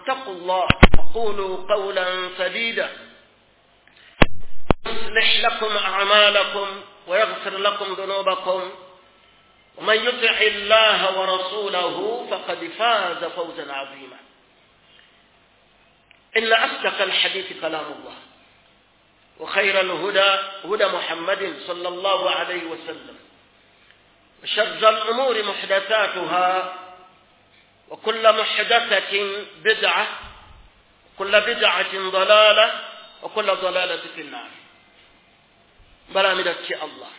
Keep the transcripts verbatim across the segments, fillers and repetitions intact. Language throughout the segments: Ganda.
اتقوا الله وقولوا قولا سديدا يصلح لكم أعمالكم ويغفر لكم ذنوبكم ومن يطع الله ورسوله فقد فاز فوزا عظيما. إن أصدق الحديث كلام الله، وخير الهدى هدى محمد صلى الله عليه وسلم، وشر الأمور محدثاتها، وكل محدثة بدعة، وكل بدعة ضلالة، وكل ضلالة في النار. Balamira ki Allah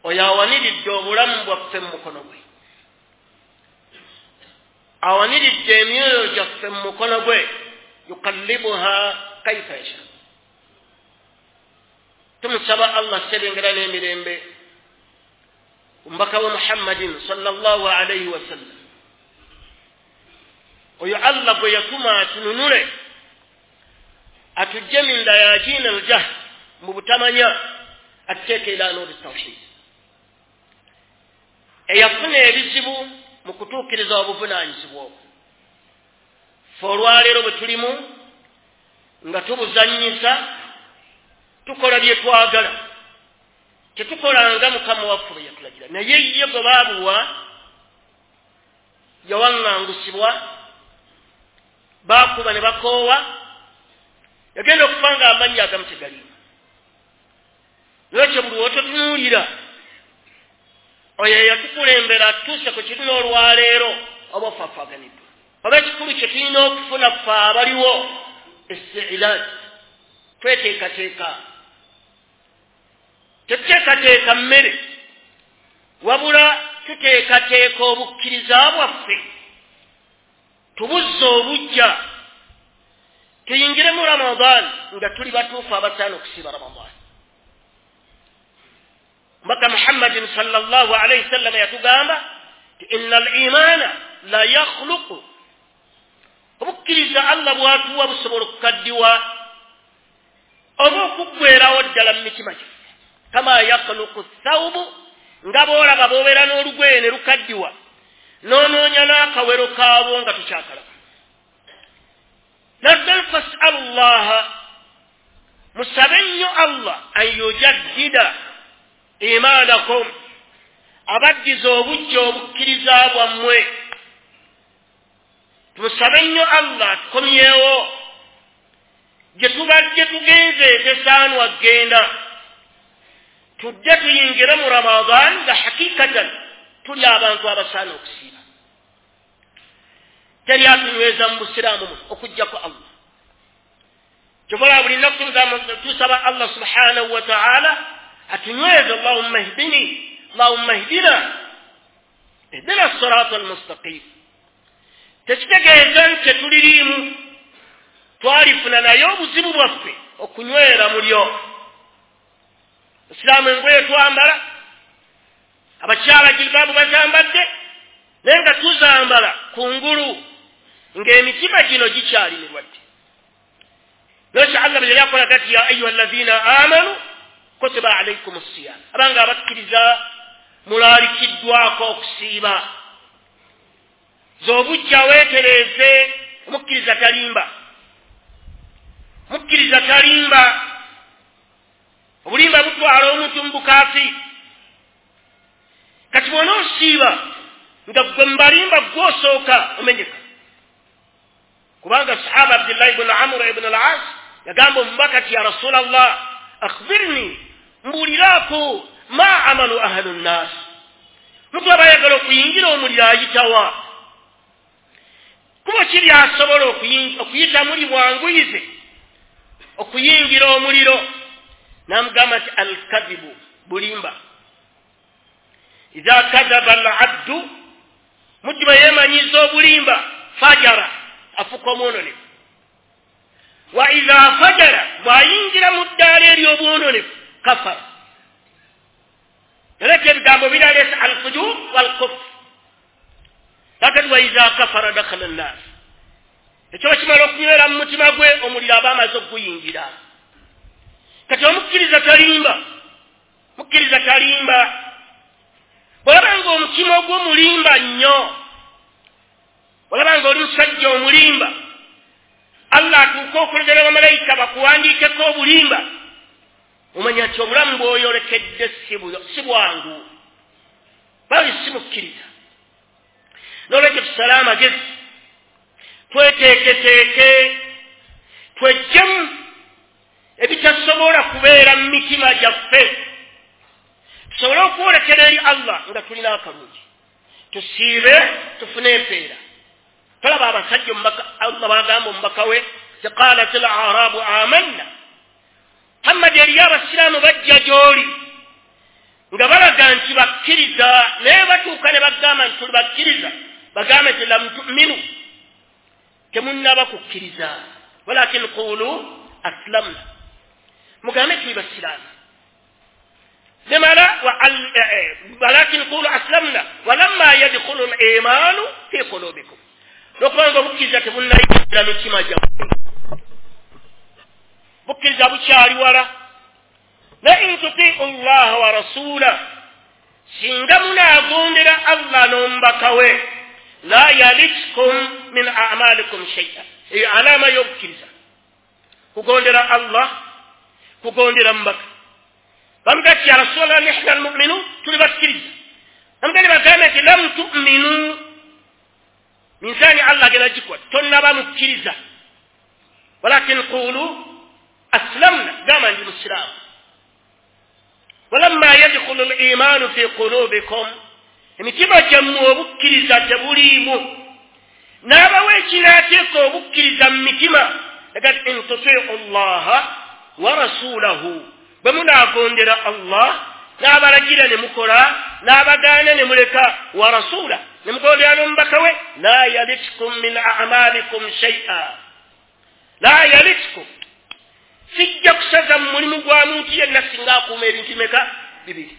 oyo awaniridde obulamu bwaffe mu mukono gwe, awaniridde emyoyo gyaffe mu mukono gwe, yukallibuha kaifa yasha. Tumusaba Allah sebengera n'emirembe omubaka we Muhammadin sallallahu alayhi wasallam, oyo Allah gwe yatuma atununule atujje min dayajina aljahl, mu butamanya, atuteeke ila nuri tawhid. Eyafuna ebizibu mu kutuukiriza obuvunaanyizibwa obwo, ffe olwaleero bwe tulimu nga tubuzannyisa, tukola bye twagala, tetukolanga Mukama waffe bwe yatulagira. Naye ye gwe baabuwa yawaŋŋangusibwa, baakuba ne bakoowa, yagenda okufa nga amannya agamu tegaliimu. Lwekyo buli wototunuulira oyo eyatukulembera atuuse ku kirina olwaleero oba ofaafaganiddwa. Oba ekikulu kye tulina okufuna ffe abaliwo istiilaad, tweteekateeka. Tetuteekateeka mmere, wabula tuteekateeka obukkiriza bwaffe, tubuzze obuggya, tuyingire mu Ramadan nga tuli batuufu abasaana okusiiba Ramadan. Mbaka Muhammadin sallallahu alayhi wasallam yatugamba nti inna al-imaana la yakhluqu, obukkiriza Allah bw'atuwa busobola okukaddiwa oba okuggwerawo ddala mu mitima gyaffe, kama yakhluqu thawbu, nga bw'olaba bw'obeera n'olugoye ne lukaddiwa n'onoonya n'akawero kaabwo nga tukyakalaba. Naddala fasalu llaha, musabe nnyo Allah an yujaddida imaanakum, abaddiza obuggya obukkiriza bwammwe. Tumusabe nnyo Allah atukomyewo gye tubadde tugenze tesaanwa genda, tujje tuyingire mu Ramadan nga hakikatan tuli abantu abasaana okusiiba. Teri atunyweza mu busiraamu muno okuggyako Allah. Kyobola buli nnaku tusaba Allah subhanahu wa ta'ala atunyweze, Allahumma ihdini, Allahumma ihdina, ihdina sirata almustaqim. Tekitegeeza nti tetuliriimu, twalifuna naye obuzibu bwaffe okunywera mulyo. Osiraamu engoye twambala, abakyala jilbaabu bazambadde, naye nga tuzambala kungulu ng'emitima gino gikyali mirwadde. Lwekyo Allah bwe yali akola gati, ya ayuha alladhina amanu kutiba alaykum siyam, abanga abakkiriza mulaalikiddwako okusiiba. Z'obujja weetereeze, omukkiriza talimba, mukkiriza talimba. Obulimba butwala omuntu mu bukaafi. Kati bw'onoosiiba nga ggwe mubalimba gw'osooka omenyeka, kubanga sahaba Abdullahi ibn Amr ibn al-As yagamba omubaka ti ya Rasulallah, akhbirni, mbuuliraako ma amalu ahlu nnas, muntu aba ayagala okuyingira omuliro ayitawa, kuba kiri asobola okuyita muli bwanguyize okuyingira omuliro. Namugamba nti alkadhibu, bulimba. Idha kadhaba al-abdu, muddu bwe yeemanyiza obulimba, fajara, afuuka omwononefu. Wa idha fajara, bw'ayingira mu ddaala ery'obwononefu, kafara. Yaleka ebigambo biraleese alfujur walkufr. Kakati wa idha kafara dakhala an-nar, ekyo bakimala okunywera mu mutima gwe, omuliro aba amaze okuguyingira. Kati omukkiriza talimba, mukkiriza talimba. Bw'olaba ng'omutima ogwo mulimba nnyo, olaba ng'oli musajja omulimba, Allah atuuka okulegera bamalayika bakuwandiikeko obulimba, omanya nti obulamu bw'oyolekedde si bwangu, bali si mukkiriza. N'olwekyo tusale amagezi, tweteeketeeke, tweggyemu ebitasobola kubeera mu mitima gyaffe, tusobole okwolekera eri Allah nga tulina akalungi, tusiibe tufune empeera. Tolaba abasajja Allah bagamba omubaka we ti qalat al arabu amanna. Muhammad eriyo abasiraamu bajja gy'oli nga balaga nti bakkiriza, naye batuuka ne bagamba nti tuli bakkiriza, bagambe nti lam tuminu, temunnaba kukkiriza, walakin qulu aslamna, mugambe tuli basiraamu. Nemala walakin qulu aslamna walamma yadkhulu al-imanu fi qulubikum, n'okubanga obukkiriza tebunnayingira mitima gyammwe, bukkiriza bukyali wala. Na in tutiu llaha wa rasula, singa munaagondera Allah n'omubaka we, la yalitkum min amalikum shay'a. Eyo alama y'obukkiriza, kugondera Allah, kugondera mubaka. Bamugati ya rasulallah nihna almuminun, tuli bakkiriza. Bamugati bagambe nti lam tuminu, minzaani Allah agenda gikuwa, tonnaba mukkiriza, walakin qulu aslamna, gamba ndi musiraamu. Walamma yadkhulu al-imanu fi qulubikum, emitima gyammwe obukkiriza tebuliimu. N'abawa ekinaateeka obukkiriza mu mitima, agati in tutiu llaha wa rasulahu, bwe munaagondera Allah n'abalagira ne mukola, n'abagaana ne muleka, wa rasula, ne mugondera n'omubaka we, la yalitkum min amalikum shay'a, la yalitkum, sijja kusaza mu mulimu gwa muntu yenna singa akuuma ebintu meka bibiri.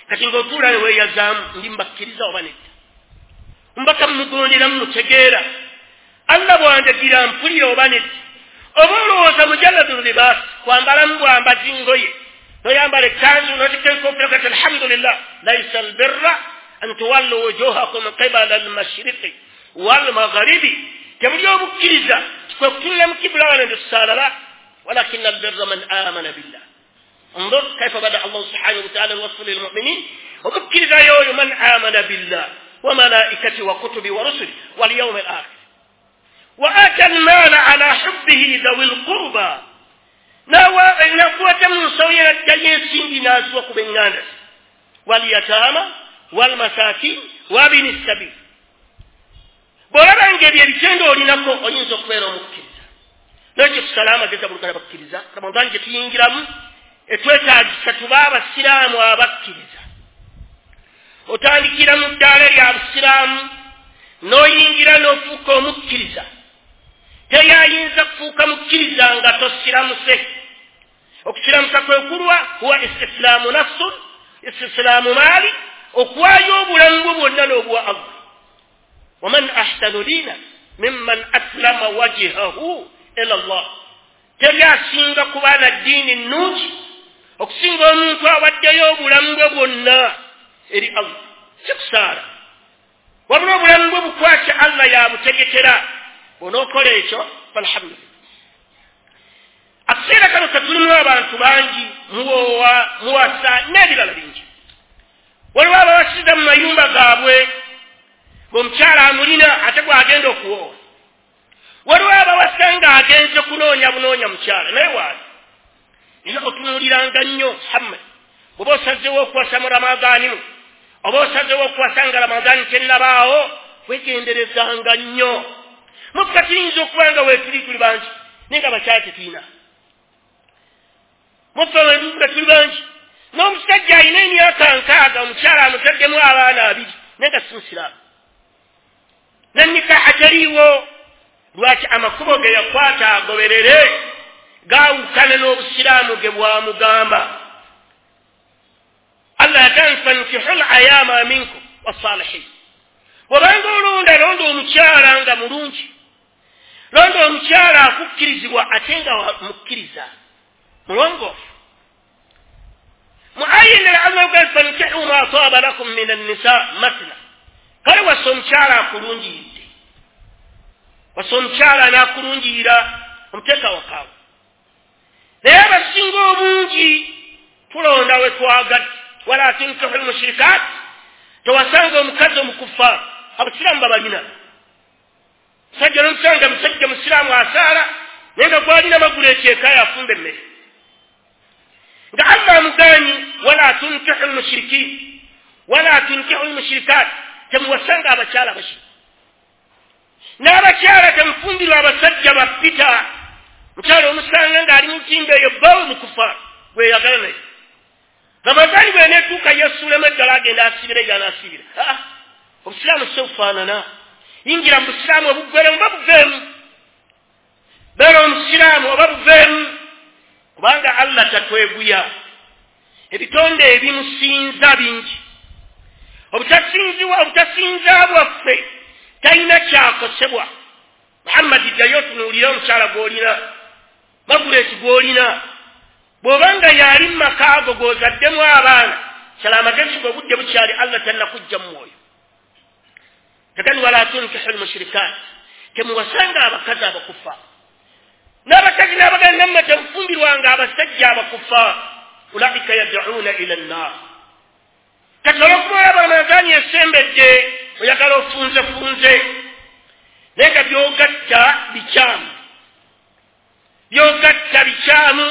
Kati ng'otuula ne weeyazaamu, ndi mbakkiriza oba nedda, mbaka mugondera mumutegeera, Allah bw'andagira mpulira oba nedda, oba olowooza mujalladu libaasi, kwambalamu bwambazi ngoye, noyambala ekkanzu n'otikka enkofiira kati alhamdulillah. Laisa albirra an tuwallu wujuhakum qibala almashriqi walmagharibi, tebuli obukkiriza kwe kutunula mu kibula wano ntusaalala, walakin albirra man amana billah. انظر كيف بدأ الله سبحانه وتعالى الوصف للمؤمنين، وبكر يوم من آمن بالله وملائكته وكتبه ورسله واليوم الآخر وآتى المال على حبه ذوي القربى، نقوة من سوية الجنسين نازوك بالناس واليتامى والمساكين وابن السبيل. bw'olaba ng'ebyo ebitendo olinako oyinza okubeera omukkiriza. N'ekyo tusale amagezi abulugala bakkiriza. Ramadani gye tuyingiramu etwetaagisa tube abasiraamu abakkiriza. Otandikira mu ddaala lya busiraamu n'oyingira n'ofuuka omukkiriza. Teri ayinza kufuuka mukkiriza nga tosiramuse. Okusiramusa kwe kulwa huwa istislaamu nafsun, istislaamu maali, okuwaayo obulamu bwo bwonna n'obuwa Allah. Waman ahsanu diina mimman aslama wajhahu ila Allah. Teri asinga kuba na ddiini nnungi okusinga omuntu awaddeyo obulamu bwe bwonna eri Allah. Si kusaala, wabula obulamu bwe bukwasa Allah yabutegekera. Bw'onookola ekyo falhamdulillah. Akaseera kano katulimu abantu bangi, muwoowa, muwasa n'ebirala bingi. Waliwo abawasiza mu mayumba gaabwe ng'omukyala amulina ate gw'agenda okuwoowa. Waliwo abawasa ng'agenze kunoonya bunoonya mukyala, naye waali nina otunuuliranga nnyo. Muhammad, bw'oba osazeewo okuwasa mu Ramadaani mu, oba osazeewo okuwasa nga Ramadaani tennabaawo, weegenderezanga nnyo. Muffe tuyinza okuba nga weetuli tuli bangi, naye nga abakyala tetulina. Muffe nga tuli bangi, n'omusajja alina emyaka nkaaga, omukyala amutaddemu abaana abiri, naye nga si musiraamu. Nannikaha teriiwo. Lwaki? Amakubo ge yakwata agoberere gaawukana n'obusiraamu ge bwamugamba. Allah yagamba fankihu l-ayama minkum wassalihin. Bw'obanga olonda, londa omukyala nga mulungi, londa omukyala akukkirizibwa ate nga mukkiriza mulongoofu. Mu aya endala Allah yagamba fankihu ma taaba lakum min annisa mathna, kale wasa omukyala akulungiyidde, Wasa omukyala anaakulungirira omuteeka wakaawe. Naye abasinga obungi tulonda we twagadde. Wala tunkihu lmushirikaat, tewasanga omukazi omukufa. Abasiraamu babalina. Musajja n'omusanga musajja musiraamu asaala, naye nga gwalina magulu ekyeka yafumba emmere. Nga Allah amugaanyi wala tunkihu lmushirikiin wala tunkihu lmushirikaat, temuwasanga abakyala abashiriki. N'abakyala temufumbirwa abasajja bapita. Mukyala omusanga ng'ali mu ntimbe eyo bbawe mukufa gweyagala naye. Ramazani bw'eneetuuka yeesuulemu eddala agenda asibira gy'anaasibira. Aa, obusiraamu si bufaanana. Yingira mu busiraamu obuggweremu oba buveemu. Beera omusiraamu oba buveemu, kubanga Allah tatweguya. Ebitonde ebimusinza bingi. Obutasinziwa obutasinza bwaffe talina kyakosebwa. Muhammadi ddayo otunuulire omukyala gw'olina, Magureti gw'olina. Bw'obanga yali mu maka ago gw'ozaddemu abaana, sala amagezi ng'obudde bukyali, Allah tannakujja mu mwoyo. Kakati wala tunkihu lmushirikaat, temuwasanga abakazi abakufa. N'abakazi n'abaganda nammwe temufumbirwanga abasajja abakufa. Ulaika yad'uuna ila nnaar. Kati olw'okuba olaba Ramadaani esembedde, oyagala ofunzefunze, naye nga by'ogatta bikyamu, by'ogatta bikyamu.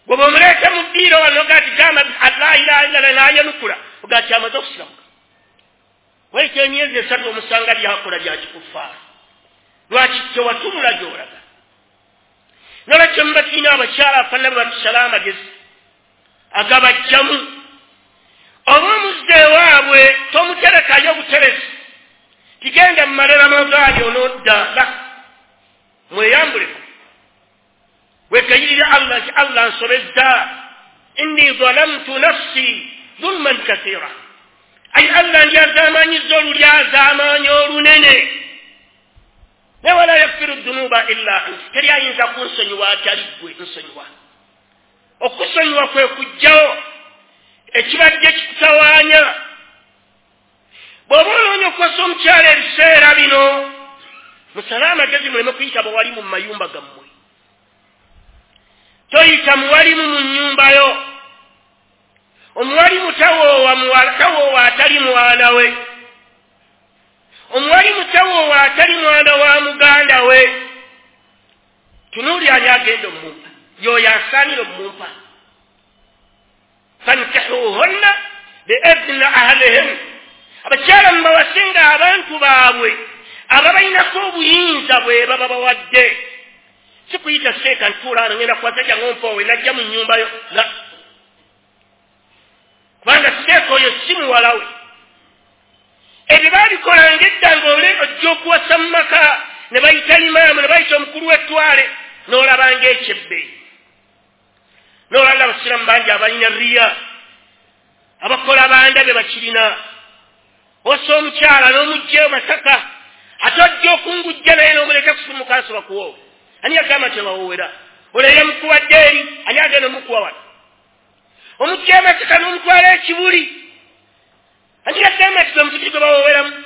Bw'oba omuleeta mu ddiiro wano ogaa ti gamba la ilaha illallah n'ayanukula, ogaa ti amaze okusiramuka. Wayita emyezi esatu omusanga byakola bya kikufaara. Lwaki tewatunula gy'olaga? Nolwekyo muba tulina abakyala afaanana bwe batusala amagezi agabajjamu. Oba omuzza ewaabwe tomuterekayo buteresi, tigenda mumale Ramadaani onoodda. La, mweyambuleko, weegayirire Allah nti Allah nsobezza, inni zalamtu nafsi zulman kathira, ayi Allah ndyazaamaanyizza olulyazaamaanyi olunene. Naye wala yaghfiru dunuba illa anta, teri ayinza kunsonyiwa atali ggwe nsonyiwa. Okusonyiwa kwe kujjawo ekibadde kikutawaanya. Bw'oba onoonya okuwasa omukyala ebiseera bino, musale amagezi muleme kuyita bawalimu mu mayumba gammwe. Toyita muwalimu mu nnyumba yo. Omuwalimu tawoowa tawoowa atali mwana we. Omuwalimu tawoowa atali mwana wa muganda we. Tunuuli ani agenda omumpa, y'oyo asaanira omumpa. Fankihuuhunna biidni ahlihin, abakyala mubawasenga abantu baabwe ababalinako obuyinza bwe baba bawadde. Si kuyita seeka ntuula wano ngenda kuwasa jangu ompoowe najja mu nnyumba yo, la, kubanga seeka oyo si muwala we. Ebyo baabikolanga edda ng'ole ojja okuwasa mu maka ne bayita imaamu ne bayita omukulu w'ettwale, n'olabanga ekyebbeeyi. N'olaba abasiraamu bangi abalina riya, abakola banda be bakirina. Osa omukyala n'omuggyayo Masaka, ate ojja okungujja naye n'omuleeta kusumuka nsoba kuwoowa. Ani yagamba tebawoowera? Olwo eyamukuwadde eri, ani agenda omukuwa wano? Omuggyayo Masaka n'omutwala ekibuli, ani yagamba nti gwe muzikiti gwe bawooweramu?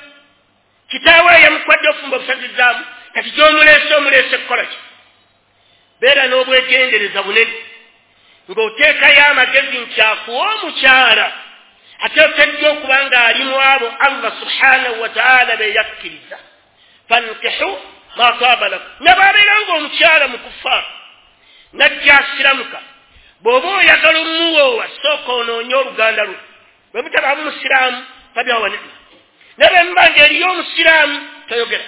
Kitaawe yamukuwadde ofumba obusazizzaamu, kati gy'omuleese omuleese kukola ki? Beera n'obwegendereza bunene ng'oteekayo amagezi nti akuwa omukyala ateekeddwa okuba ng'ali mu abo Allah subhanahu wa ta'ala be yakkiriza. Fankihu ma taaba lakum. Ne bw'abeera ng'omukyala mukufa najja asiramuka, bw'oba oyagala omuwoowa sooka onoonye oluganda lwe. Bwe mutabaamu musiraamu fabyawa ni'ma, naye bwe muba ng'eriyo omusiraamu toyogera,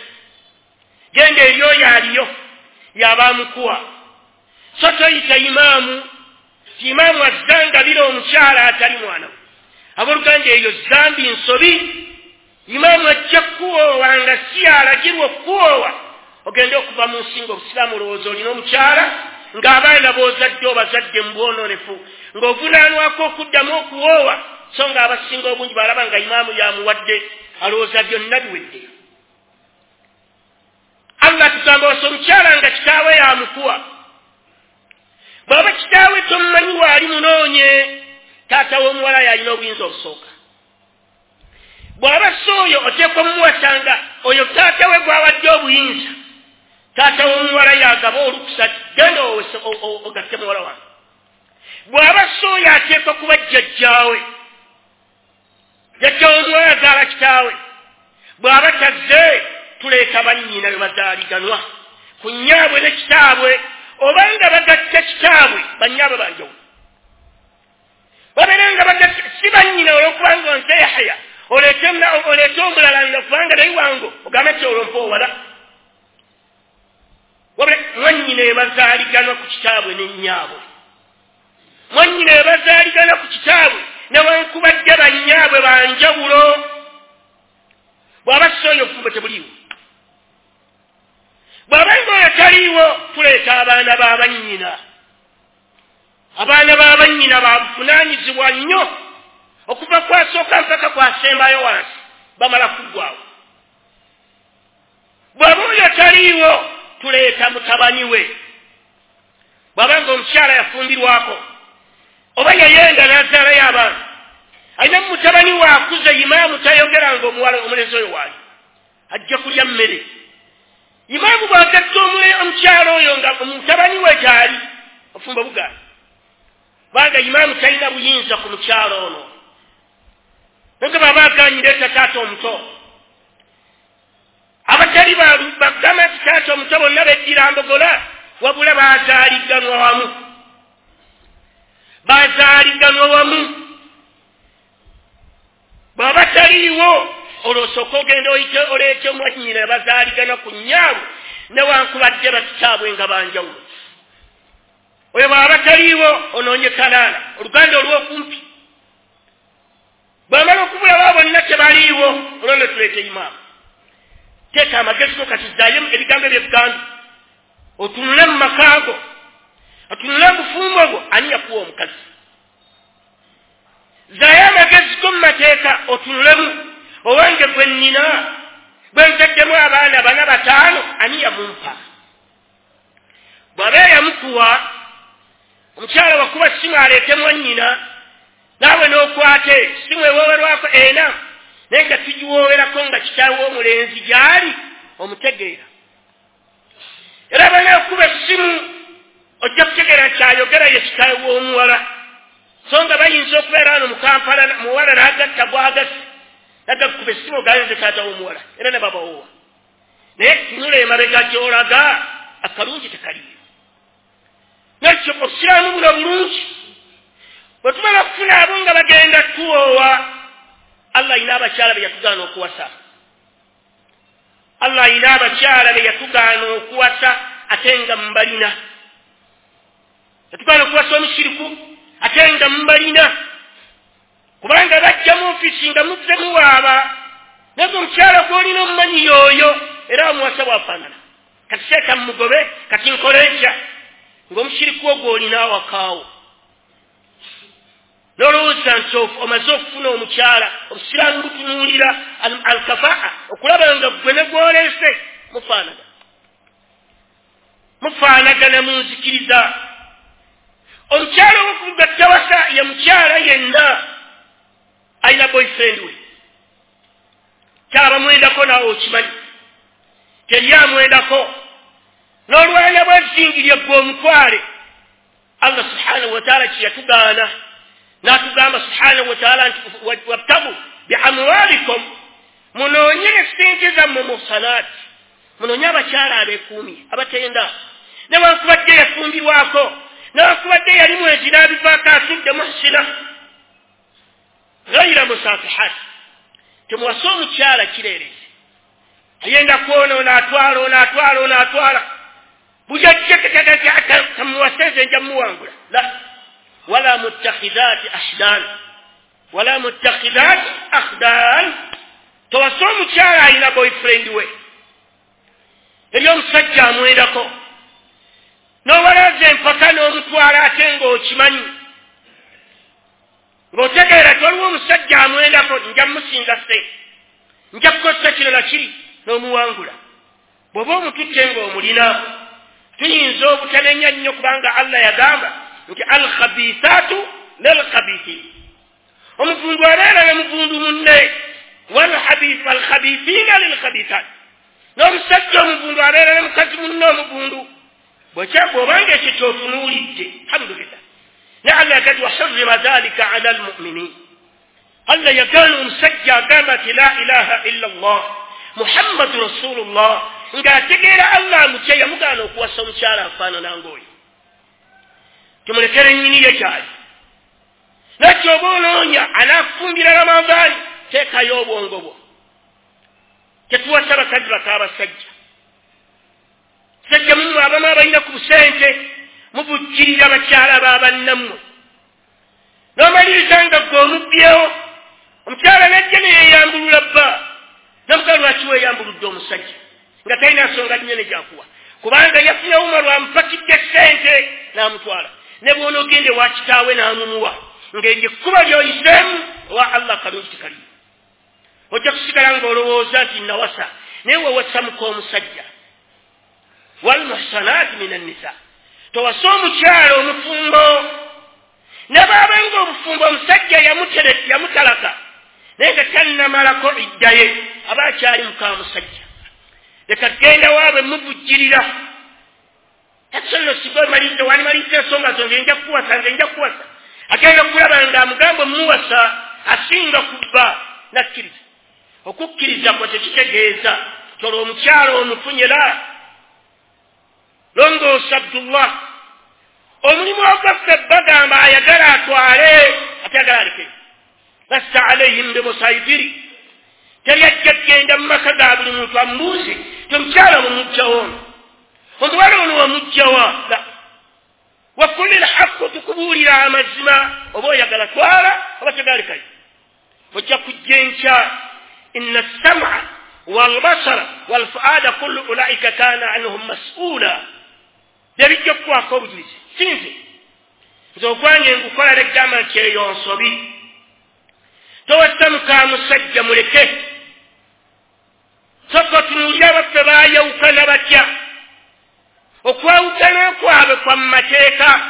genda eri oyo aliyo y'aba amukuwa. So toyita imaamu ti imaamu azzangabira omukyala atali mwana we. Abooluganda eyo zambi nsobi. Imaamu ajja kukuwoowa nga si alagirwa okukuwoowa, ogende okuva mu nsi ng'obusiraamu olowooza olina omukyala, ng'abaana b'ozadde obazadde mu bwonoonefu, ng'ovunaanwako okuddamu okuwoowa, so ng'abasinga obungi balaba nga imaamu yamuwadde, alowooza byonna biwedde. Allah tugamba wasa omukyala nga kitaawe yamukuwa. Bw'aba kitaawe tomumanyi waali munoonye, taata w'omuwala yalina obuyinza obusooka. Bw'aba si oyo oteekwa mumuwasanga Oyo taata we gwawadde obuyinza, taata w'omuwala yagaba olukusa, genda ogatte muwala wange. Bw'aba si oyo ateekwa kuba jjajjaawe, jjajja w'omuwala azaala kitaawe. Bw'aba tazze, tuleeta bannyina be bazaaliganwa ku nnyaabwe ne kitaabwe, obanga bagatta kitaabwe bannyaabwe banjawulo. Babeere nga bagatta si bannyina olw'okubanga nze Yahaya oleete omulala nga kubanga naye wange ogambe nti olwo mpa owala. Wabula mwannyina ebazaaliganwa ku kitaabwe ne nnyaabwe, mwannyina ebazaaligana ku kitaabwe newankubadde bannyaabwe banjawulo. Bw'aba si oyo obufumbo tebuliiwo. Bw'aba nga oyo taliiwo, tuleeta abaana ba bannyina. Abaana ba bannyina babuvunaanyizibwa nnyo okuva kwasooka mpaka kwasembayo wansi, bamala kuggwawo. Bw'aba oyo taliiwo, tuleeta mutabani we. Bw'aba nga omukyala yafumbirwako oba yayenda n'azaalayo abaana, alina mutabani we akuze, imaamu tayogera nga omuwala omulenzi oyo waali ajja kulya mmere. Imaamu bw'agatta omukyala oyo nga mutabani we gy'ali, ofumba bugaana, kubanga imaamu talina buyinza ku mukyala ono. Naye bw'aba agaanyi, leeta taata omuto. Abatali bagamba nti taata omuto bonna beddira mbogola, wabula bazaaliganwa wamu, bazaaliganwa wamu. Bw'aba taliiwo, olwo osooka ogenda oyite oleete mwannyina bazaaligana ku nnyaabwe newankubadde bakitaabwe nga banjawulo. Oyo bw'aba taliiwo, onoonye kalaala, oluganda olw'okumpi. Bw'amala okubulaba bonna tebaliiwo, olwo ne tuleeta imaamu. Teeka amagezi go kati, zzaayo ebigambo eby'ebuganda, otunule mu maka go, otunule mu bufumbo bwo, ani yakuwa omukazi? Zzaayo amagezi go mu mateeka, otunulemu owange gwe nnina, bwe nzaddemu abaana bana bataano, ani yamumpa? Bw'aba yamukuwa, omukyala wakuba ssimu aleete mwannyina, naawe n'okwate ssimu ewoowerwako ena, naye nga tugiwoowerako nga kitaawe w'omulenzi gy'ali omutegeera. Era banaakuba essimu ojja kutegeera nti ayogera ye kitaawe w'omuwala, so nga bayinza okubeera wano mu Kampala, muwala n'agatta gwagasi, nagakuba essimu ogayenze taata w'omuwala, era ne babawoowa. Naye tunula emabega gy'olaga akalungi tekaliyo. Nakyo obusiraamu buno bulungi. Bwe tumala okufuna abo nga bagenda tuwoowa, Allah ayina abakyala be yatugaana okuwasa. Allah ayina abakyala be yatugaana okuwasa ate nga mubalina. Yatugaana okuwasa omushiriku ate nga mubalina, kubanga bajja mu ofiisi nga muzze muwaaba, naye omukyala gw'olina omumanyi y'oyo, era omuwasa bw'afaanana. Kati seeka mumugobe, kati nkole ntya? Ng'omushiriku ogwo olina awakaawo. N'olowooza nti omaze okufuna omukyala, obusiraamu butunuulira alkafaa, okulaba nga ggwe ne gw'oleese mufaanagana, mufaanagana mu nzikiriza. Omukyala ow'okugatta wasa ye mukyala yenna alina boyfriend we, kyaba mwendako naawe okimanyi, teri amwendako, n'olwana bwezingirye ggwe omutwale. Allah subhanahu wa taala kye yatugaana, n'atugamba subhanahu wa taala nti wabtagu biamwalikum, munoonye essente zammwe muhsanaati, munoonye abakyala abeekuumye abatenda, newankubadde yafumbirwako, newankubadde yali mwezi n'abivaako atudde muhsina ghaira musafihat. Temuwase omukyala kireerezi ayenda kwonoona, atwala ono, atwala ono, atwala buli ajja tamuwase nze nja muwangula. La wala muttakhidhati ahdan, wala muttakhidhati akhdan. Towase omukyala alina boyfriend we, eri omusajja amwendako, n'owalaza empaka n'omutwala ate ng'okimanyi, ng'otegeera ti waliwo omusajja amwendako, nja mmusinza ssente, nja kukozesa kino na kiri, n'omuwangula. Bw'oba omututte ng'omulina, tuyinza obutanenya nnyo, kubanga Allah yagamba nti alkhabithaatu lilkhabithin, omuvundu abeera ne muvundu munne, walkhabithiina lilkhabithaat. N'omusajja omuvundu abeera ne mukazi munne omuvundu. Bw'obanga ekyo kyotunuulidde, alhamdulillah. Ne Allah yagati wa harrama dhalika ala almu'minin. Allah yagaana omusajja agamba nti la ilaha illa Allah Muhammadu Rasulullah, ng'ategeera Allah amutya, yamugaana okuwasa omukyala afaanana ng'oyo. Tumulekere nnyini ye kyali. Nakyo oba onoonya anaakufumbira Ramadhaani, teekayo obwongo bwo. Tetuwasa bakazi bakaabasajja. Sajja mummwe abamu abalina ku busente muvujjirira bakyala ba bannammwe. N'omaliriza nga ggwe omubbyewo, omukyala n'ajja ne yeeyambulula bba. Namugaa lwaki weeyambuludde omusajja nga talina nsonga nnene gy'akuwa, kubanga yafunye Umaru amupakidde ssente n'amutwala. Ne bw'onoogenda ewa kitaawe n'amumuwa, ng'eryo ekkuba ly'oyiseemu owa Allah kalungi tekaliyo. Ojja kusigala ng'olowooza nti nawasa, naye wewasa muka omusajja. Walmuhsanaati mina nnisa, towasa omukyala omufumbo. Ne bw'aba ng'obufumbo omusajja yamutalaka naye nga tannamalako idda ye, aba akyali muka musajja. Leka genda waabwe muvujjirira. Tasobola singa omaliriza, wandimaliriza ensonga zo, nze nja kukuwasa, nze nja kukuwasa. Agenda okulaba nga amugamba omuwasa asinga kubba, nakkiriza. Okukkiriza kwe tekitegeeza tolwo omukyala omufunye la. Longoosa Abdullah, omulimu ogwaffe bagamba ayagala atwale, ate ayagala aleke. Lasta alayhim bimusaitiri, teri ajja kugenda mu maka ga buli muntu amubuuze ti omukyala omuggyawo ono, omuwala ono wamuggyawa. Wakuli lhaqu, tukubuulira amazima, oba oyagala twala oba toyagala Ojja kujja enkya, inna sam'a walbasara walfuada kullu ulaika kana anhum mas'ula. Byebijja okukwako obujulizi, si nze. Nze ogwange ngukola legamba nti eyo nsobi. Towasa muka musajja muleke. Sooka otunuulire abaffe baayawukana batya. Okwawukana kwabwe kwa mu mateeka.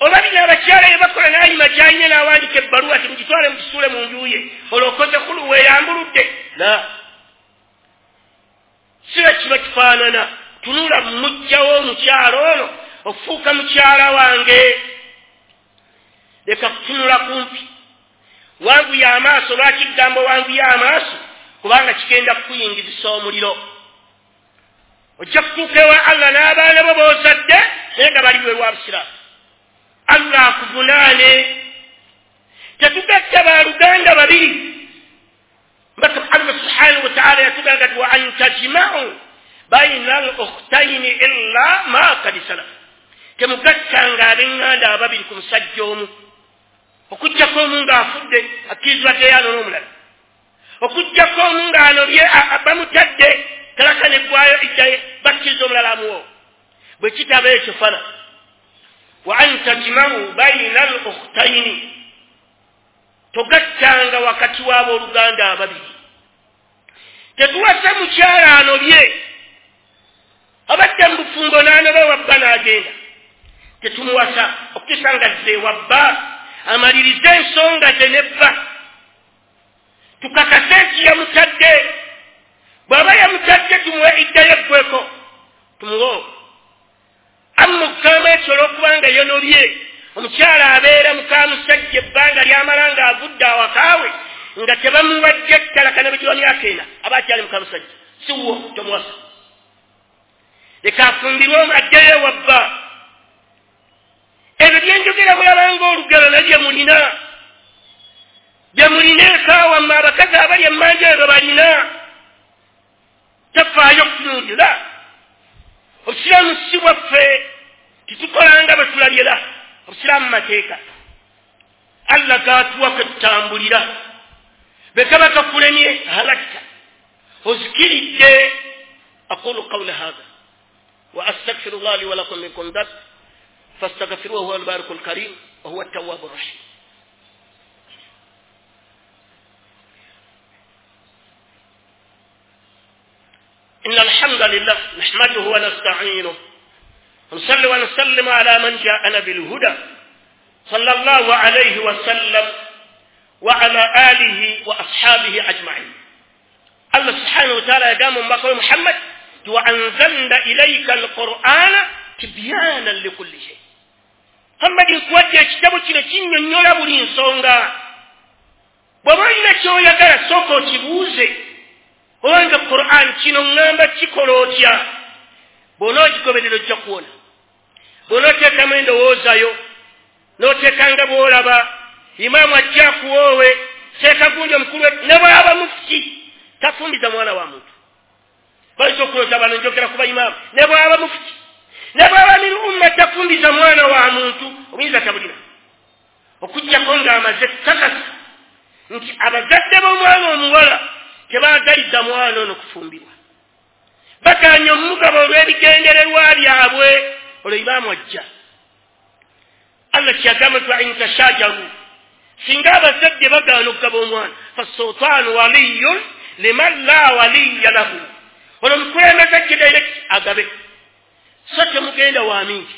Oba bino abakyala bye bakola n'ayima gy'alina n'awandiika ebbaluwa ti mugitwale mugisuule mu nju ye, olwo okoze kulu weeyambuludde. La, si bwe kiba kifaanana. Tunula muggyawo omukyala ono okufuuka mukyala wange. Leka kutunula kumpi. Wanguya amaaso. Lwaki kugamba wanguya amaaso? Kubanga kigenda kukuyingizisa omuliro. Ojja kutuuka ewa Allah n'abaana bo b'ozadde naye nga bali bweru wa busiraamu. Allah akuvunaane. Tetugatta baluganda babiri. Mbaka Allah subhanahu wa ta'ala yatugamba nti wa an tajma'u bayna al-ukhtayn illa ma qad salaf. Temugattanga ab'eŋŋanda ababiri ku musajja omu, okuggyako omu ng'afudde akkirizibwa teyaano n'omulala, okuggyako omu ng'anobye bamutadde talaka neggwayo iddaye bakkiriza omulala amuwo. Bwe kitaba ekyo fana wa an tajma'u bayna al-ukhtayn, togattanga wakati w'abooluganda ababiri. Tetuwasa mukyala anobye abadde mu bufumbo n'anoba wabba n'agenda, tetumuwasa okutuusa nga zze wabba amalirize ensonga ze nebba, tukakase nti yamutadde. Bw'aba yamutadde tumuwe iddayo eggweko, tumuwe. Amma okugamba ekyo olw'okubanga yonobye, omukyala abeera muka musajja ebbanga ly'amala ng'avudde awakaawe nga tebamuwadde ettalaka ne bwe myaka ena, aba akyali muka musajja, si wuwo, tomuwasa. Leka afumbirwe addeyo ewabba. Ebyo byenjogera mulaba ng'olugero naye bye mulina, bye mulina eka wammwe abakazi abali emmanja ebyo balina. Tafaayo okutunuulira. Obusiraamu si bwaffe, tetukolanga bwe tulabye la. Obusiraamu mateeka Allah gaatuwa kwe tutambulira. Bwe kaba kakulemye halakta, ozikiridde. Aqulu qawli hadha wa astaghfirullah li wa lakum min kulli dhanb fastaghfiruhu huwa al-barikul karim wa huwa at-tawwabur rahim. إن الحمد لله نحمده ونستعينه ونصلي ونسلم على من جاءنا بالهدى صلى الله عليه وسلم وعلى آله وأصحابه أجمعين. الله سبحانه Subhanahu wa ta'ala yagamba omubaka we Muhammad ti wa anzalna ilaika alqur'ana tibyanan likulli shay. Muhammad, nkuwadde ekitabo kino kinnyonnyola buli nsonga. Bw'oba olina ky'oyagala sooka okibuuze, obanga Qur'an kino ŋŋamba kikola otya? Bw'onookigoberera ojja kuwona. Bw'onooteekamu endowoozayo, n'oteekanga bw'olaba, imaamu ajja akuwoowe, seeka gundi omukulu ne bw'aba mufuti, tafumbiza mwana wa muntu. Bayinza okulooza bano njogera ku bayimaamu, ne bw'aba mufuti, ne bw'aba min umma tafumbiza mwana wa muntu, obuyinza tabulina. Okuggyako ng'amaze kakasa nti abazadde b'omwana omuwala tebaagaliza mwana ono kufumbirwa. Bagaanye omugabo olw'ebigendererwa byabwe, olwo imaamu ajja. Allah kyagamba nti wa in tashajaru, singa abazadde bagaana okugaba omwana, fasultaanu waliyun liman la waliya lahu. Olwo omukulembeze ajje direct agabe. So temugenda wa mingi,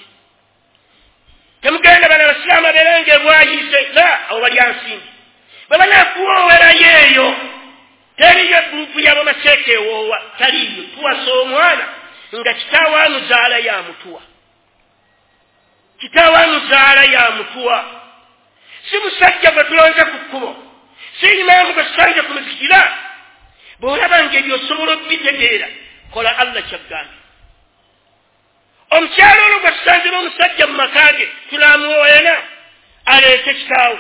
temugenda bano abasiraamu abeeranga ebwayise, la abo balya nsimbi. Bwe banaakuwoowerayo eyo, teriyo gurupu y'abamaseeka ewoowa, taliiyo. Tuwasa omwana nga kitaawe amuzaala yamutuwa, kitaawe amuzaala yamutuwa. Si musajja gwe tulonze ku kkubo, si imaamu gwe tusanze ku muzikiti. Bw'olaba ng'ebyo osobola okubitegeera, kola Allah ky'agambye. Omukyala olwo gwe tusanze n'omusajja mu maka ge, tunaamuwoowera aleete kitaawe,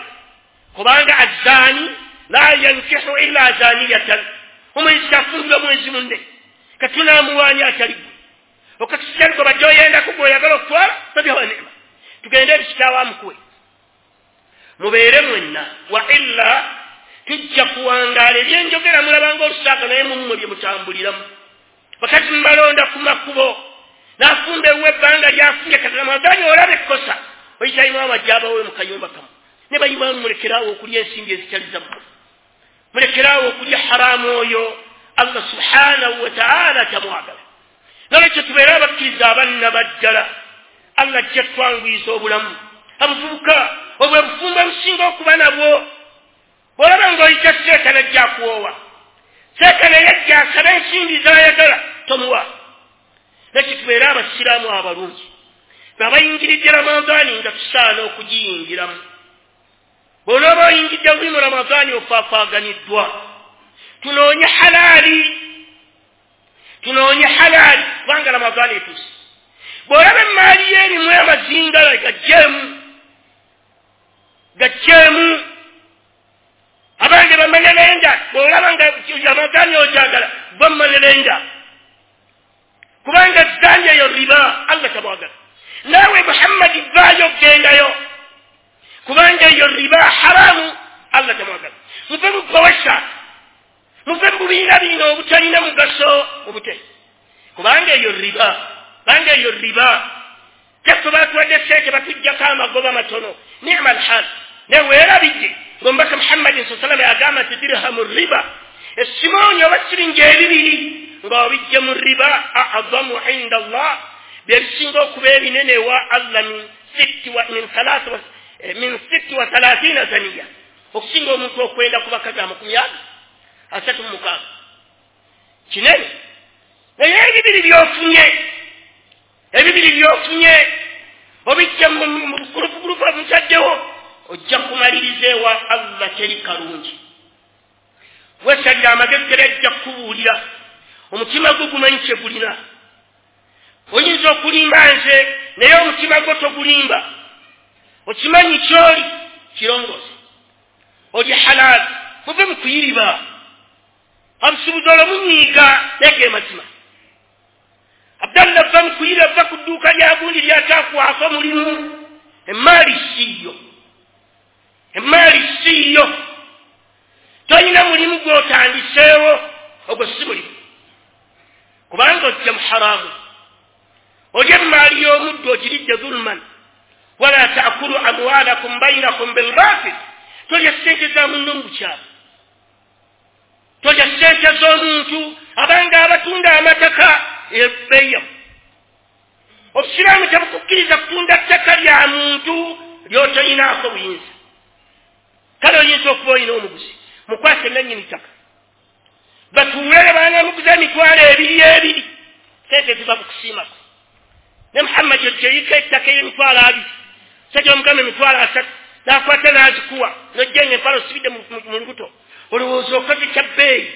kubanga azzaani la yankihu illa zaniyatan, omwenzi tafumbirwa mwenzi munne, katunaamuwaanya atali gwe. Okakisitali gwe badde oyendako gw'oyagala okutwala, babyawa neema, tugende eri kitaawe amukuwe, mubeere mwenna. Wa illa tujja kuwangaala. Ebyenjogera mulabanga olusaaka, naye mummwe bye mutambuliramu. Bakazi mubalonda ku makubo, n'afumba ewuwe ebbanga lyafumbye, kati Ramadhaani olaba ekkosa, oyita imaamu ajja abawe mu kayumba kamu. Ne bayimaamu mulekeraawo okulya ensimbi ezitali zammwe, mulekeraawo okulya haramu oyo Allah subhanahu wa ta'ala tamwagala. Nolwekyo tubeere abakkiriza abannabaddala. Allah ajja twanguyiza obulamu. Abavubuka, obwe bufumbo obusinga okuba nabwo. Bw'olaba ng'oyita seeka najja akuwoowa, seeka naye ajja asaba ensimbi z'ayagala, tomuwa. Nakyo tubeere abasiraamu abalungi, abayingiridde Ramadhaani nga tusaana okugiyingiramu. Bw'onooba oyingidde buli mu Ramadhaani ofaafaaganiddwa. Tunoonye halaali, tunoonye halaali, kubanga Ramadhaani etuuse. Bw'olaba emmaali yo erimu amazingala, gaggyemu, gaggyemu. Abange bamanyalenda, bw'olaba nga Ramadhaani ogyagala, bamanyalenda, kubanga zanyi eyo riba, Allah tabwagala. Naawe Muhammadi vaayo gendayo, kubanga eyo riba haramu, Allah tamwagala. Muve mu bawasa, muve mu bibiina bino obutalina mugaso mubute, kubanga eyo riba, kubanga eyo riba. Teffe batuwadde ssente batuggyako amagoba matono, ni'ma alhal. Naye weerabidde ng'omubaka Muhammadin sallallahu alaihi wasallam agamba nti dirhamu riba, essimooni oba siringi ebibiri ng'obijje mu riba, a'zamu inda Allah, bye bisinga okuba ebinene ewa Allah min sitti wa min thalatha wa min sitti wa thalathina zaniya, okusinga omuntu okwenda ku bakazi amakumi aga asatu mu mukaaga. Kinene. Naye ebibiri by'ofunye, ebibiri by'ofunye obijja mu gulupu omutaddewo, ojja kumaliriza ewa Allah teri kalungi. Weesalira amagezi gera ajja kukubuulira, omutima gwo gumanyi kye gulina. Oyinza okulimba nze, naye omutima gwo togulimba. Okimanyi ky'oli kirongoosa, oli halaali. Muve mu kuyiriba. Obusuubuzi olwo munyiiga, naye ge mazima. Abdallah va mu kuyiriba, va ku dduuka lya gundi ly'ataakuwaako mulimu. Emmaali siiyo, emmaali siiyo. Tolina mulimu gw'otandiseewo, ogwo si mulimu, kubanga ojja mu haramu. Olya emmaali y'omuddu ogiridde zulman. Wala taakulu amwalakum bainakum bilbatil, tolya ssente za munno mu bukyamu, tolya ssente z'omuntu. Abanga abatunda amataka ebbeeyamu. Obusiraamu tebukukkiriza kutunda ttaka lya muntu ly'otoyinaako buyinza. Kale oyinza okuba olina omuguzi, mukwase nannyini ttaka, batuule baana Namuguza emitwalo ebiri ebiri sente ziva ku kusiimako ne Muhammad ojjeyiko ettaka ey'emitwalo abiri sajja omugamba emitwalo asatu n'akwata n'azikuwa n'ojjenga empala osibidde mu lubuto olowooza okoze kya bbeeyi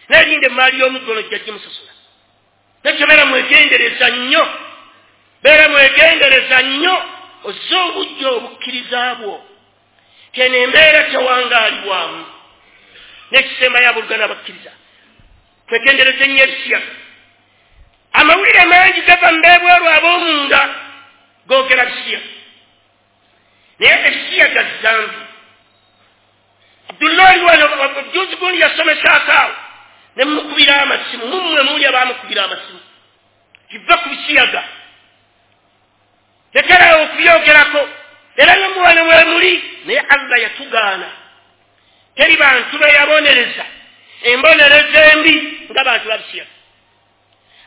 naye linda emaali y'omuddu ono ojja gimusasula nekyo beera mwegendereza nnyo beera mwegendereza nnyo ozze obujja obukkiriza bwo teno embeera tewangaalibwamu n'ekisembayo abooluganda abakkiriza twegendereze nnyo ebisiyaga amawulire mangi gava mu beebweru ab'omunda googera bisiyaga naye ebisiyaga zambi Abdullahi wano juzi gundi yasomesaako awo ne mumukubira amasimu mummwe muli abaamukubira amasimu kiva ku bisiyaga lekerawo okubyogerako era nomuwano mwe muli naye Allah yatugaana teri bantu be yabonereza embonereza embi nga bantu babisiyaga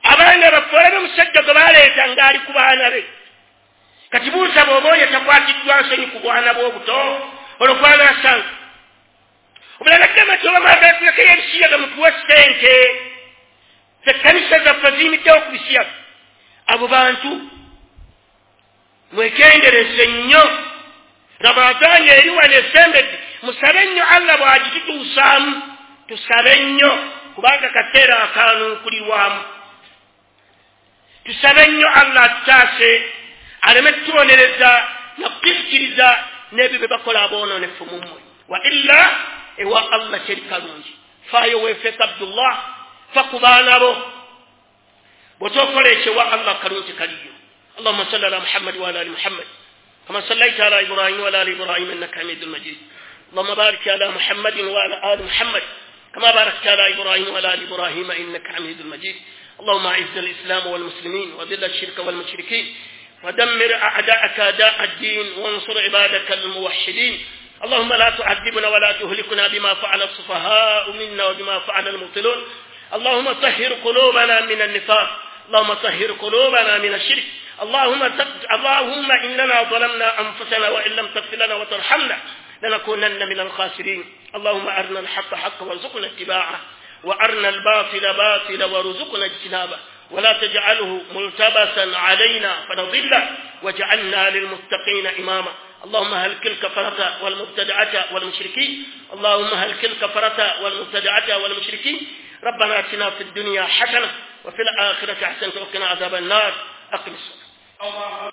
abaana baffe olabe omusajja gwe baleeta ng'ali ku baana be kati buuza bw'oba oyo takwatiddwa nsonyi ku bwana bw'obuto olwo gwanaasanga obulala gamba nti oba mwagala tulekeyo ebisiyaga mutuwe ssente ekkanisa zaffe ziyimiddewo ku bisiyaga abo bantu mwegendereze nnyo Ramadaani eri wano esembedde musabe nnyo Allah bw'agitutuusaamu tusabe nnyo kubanga kaseera akaanuukulirwamu tusabe nnyo Allah atutaase aleme tutubonereza nakukizikiriza n'ebyo bye bakola aboononefu mu mmwe wa illa ewa Allah teri kalungi faayo weefeeka Abdullah fa ku baana bo bw'otookola ekyo ewa Allah kalungi kaliyo اللهم صل على محمد وعلى ال محمد كما صليت على ابراهيم وعلى ال ابراهيم انك حميد مجيد اللهم بارك على محمد وعلى ال محمد كما باركت على ابراهيم وعلى ال ابراهيم انك حميد مجيد اللهم اعز الاسلام والمسلمين وذل الشرك والمشركين ودمر اعداءك اعداء الدين وانصر عبادك الموحدين اللهم لا تعذبنا ولا تهلكنا بما فعل السفهاء منا وبما فعل المبطلون اللهم طهر قلوبنا من النفاق اللهم طهر قلوبنا من الشرك اللهم اللهم إننا ظلمنا أنفسنا وإن لم تغفر لنا وترحمنا لنكونن من الخاسرين اللهم أرنا الحق حقا وارزقنا اتباعه وأرنا الباطل باطلا وارزقنا اجتنابه ولا تجعله ملتبسا علينا فنضله واجعلنا للمتقين إماما اللهم هلك الكفرة والمبتدعة والمشركين اللهم هلك الكفرة والمبتدعة والمشركين ربنا آتنا في الدنيا حسنة وفي الآخرة حسنة وقنا عذاب النار أقم الصلاة.